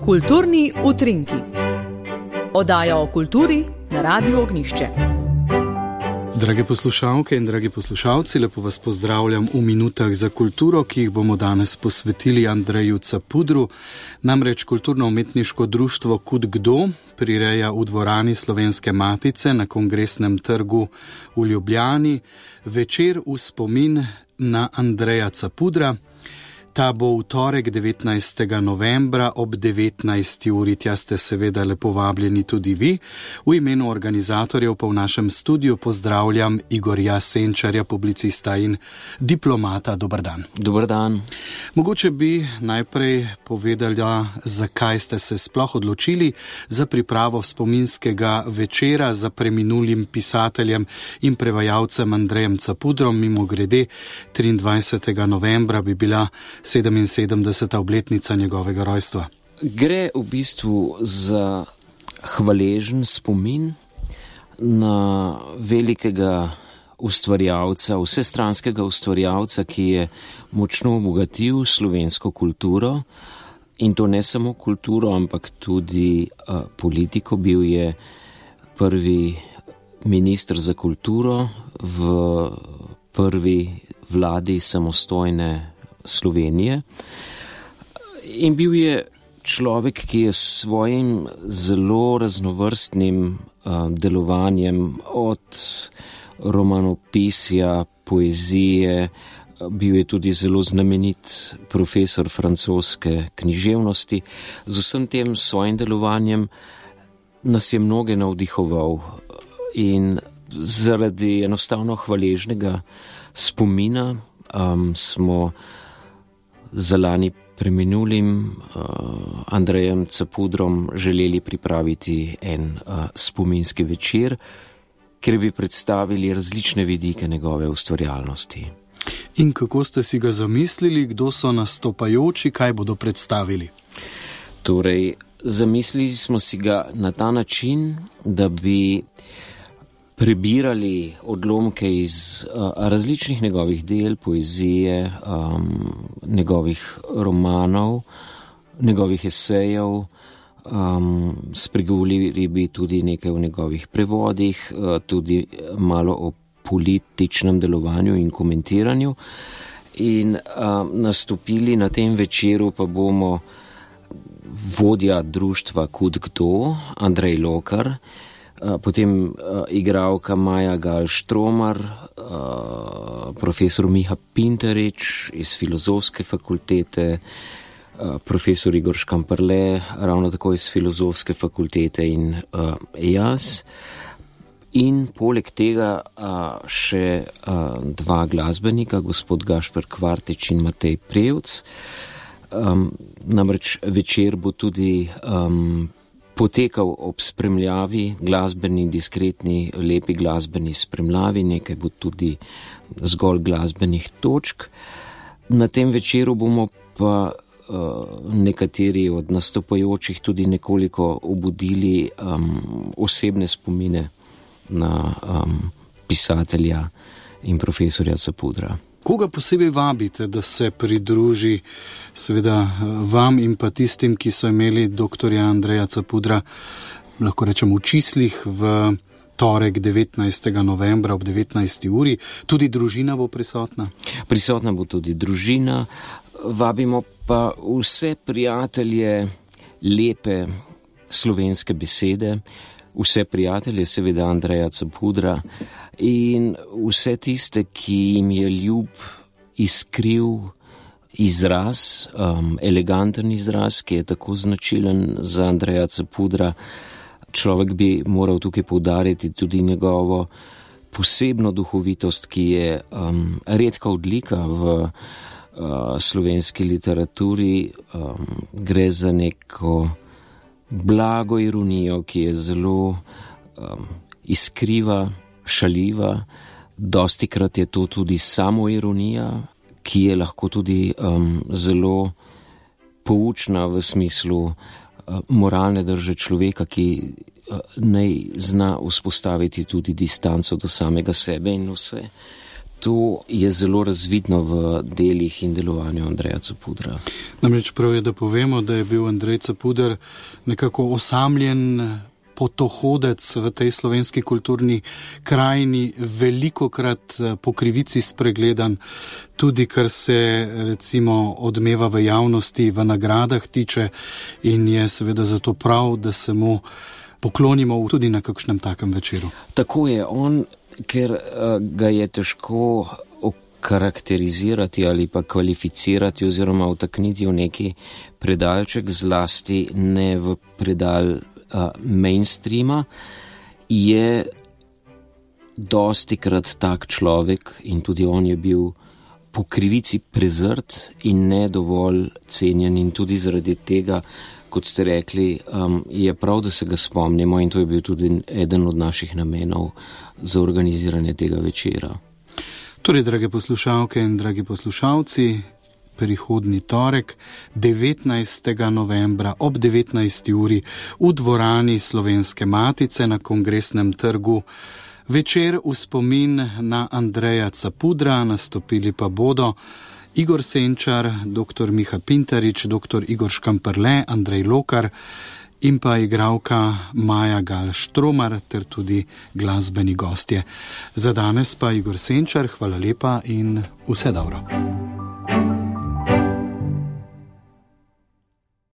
Kulturni utrinki. Oddaja o kulturi na Radiu Ognjišče. Drage poslušalke in dragi poslušalci, lepo vas pozdravljam v minutah za kulturo, ki jih bomo danes posvetili Andreju Capudru. Namreč kulturno-umetniško društvo Kud kdo prireja v dvorani Slovenske matice na Kongresnem trgu v Ljubljani večer v spomin na Andreja Capudra. Ta bo v torek 19. novembra ob 19. uri. Tja ste seveda lepo vabljeni tudi vi. V imenu organizatorjev pa v našem studiu pozdravljam Igorja Senčarja, publicista in diplomata. Dober dan. Dober dan. Mogoče bi najprej povedali, zakaj ste se sploh odločili za pripravo spominskega večera za preminulim pisateljem in prevajalcem Andrejem Capudrom. Mimogrede, 23. novembra bi bila 77. obletnica njegovega rojstva. Gre v bistvu za hvaležen spomin na velikega ustvarjalca, vsestranskega ustvarjalca, ki je močno obogatil slovensko kulturo, in to ne samo kulturo, ampak tudi politiko. Bil je prvi minister za kulturo v prvi vladi samostojne Slovenije in bil je človek, ki je s svojim zelo raznovrstnim delovanjem od romanopisja, poezije, bil je tudi zelo znamenit profesor francoske književnosti. Z vsem tem svojim delovanjem nas je mnoge navdihoval in zaradi enostavno hvaležnega spomina smo za lani preminulim Andrejem Capudrom želeli pripraviti en spominski večer, kjer bi predstavili različne vidike njegove ustvarjalnosti. In kako ste si ga zamislili, kdo so nastopajoči, kaj bodo predstavili? Torej, zamislili smo si ga na ta način, da bi prebirali odlomke iz različnih njegovih del, poezije, njegovih romanov, njegovih esejev, spregovorili bi tudi nekaj o njegovih prevodih, tudi malo o političnem delovanju in komentiranju. In nastopili na tem večeru pa bomo vodja društva Kud kdo, Andrej Lokar, potem igralka Maja Gal-Štromar, profesor Miha Pinterič iz Filozofske fakultete, profesor Igor Škamperle, ravno tako iz Filozofske fakultete in jaz. In poleg tega še dva glasbenika, gospod Gašper Kvartič in Matej Prevc. Namreč večer bo tudi potekal ob spremljavi, glasbeni, diskretni, lepi glasbeni spremljavi, nekaj bo tudi zgolj glasbenih točk. Na tem večeru bomo pa nekateri od nastopajočih tudi nekoliko obudili osebne spomine na pisatelja in profesorja Capudra. Koga posebej vabite, da se pridruži seveda vam in pa tistim, ki so imeli doktorja Andreja Capudra, lahko rečem, v čislih v torek 19. novembra ob 19. uri? Tudi družina bo prisotna? Prisotna bo tudi družina. Vabimo pa vse prijatelje lepe slovenske besede, vse prijatelje seveda Andreja Capudra in vse tiste, ki jim je ljub iskriv izraz, eleganten izraz, ki je tako značilen za Andreja Capudra. Človek bi moral tukaj poudariti tudi njegovo posebno duhovitost, ki je redka odlika v slovenski literaturi. Gre za neko blago ironijo, ki je zelo iskriva, šaljiva. Dostikrat je to tudi samoironija, ki je lahko tudi zelo poučna v smislu moralne drže človeka, ki naj zna vzpostaviti tudi distanco do samega sebe in vse to je zelo razvidno v delih in delovanju Andreja Capudra. Namreč prav je, da povemo, da je bil Andrej Capuder nekako osamljen potohodec v tej slovenski kulturni krajini, velikokrat po krivici spregledan, tudi kar se recimo odmeva v javnosti, v nagradah tiče, in je seveda zato prav, da se mu poklonimo tudi na kakšnem takem večeru. Tako je on, ker ga je težko okarakterizirati ali pa kvalificirati oziroma vtakniti v neki predalček, zlasti ne v predal mainstreama, je dostikrat tak človek in tudi on je bil po krivici prezrt in ne dovolj cenjen, in tudi zaradi tega, kot ste rekli, je prav, da se ga spomnimo, in to je bil tudi eden od naših namenov za organiziranje tega večera. Torej, drage poslušalke in dragi poslušalci, prihodnji torek, 19. novembra ob 19. uri v dvorani Slovenske Matice na Kongresnem trgu večer v spomin na Andreja Capudra. Nastopili pa bodo Igor Senčar, dr. Miha Pintarič, dr. Igor Škamperle, Andrej Lokar in pa igralka Maja Gal-Štromar ter tudi glasbeni gostje. Za danes pa Igor Senčar, hvala lepa in vse dobro.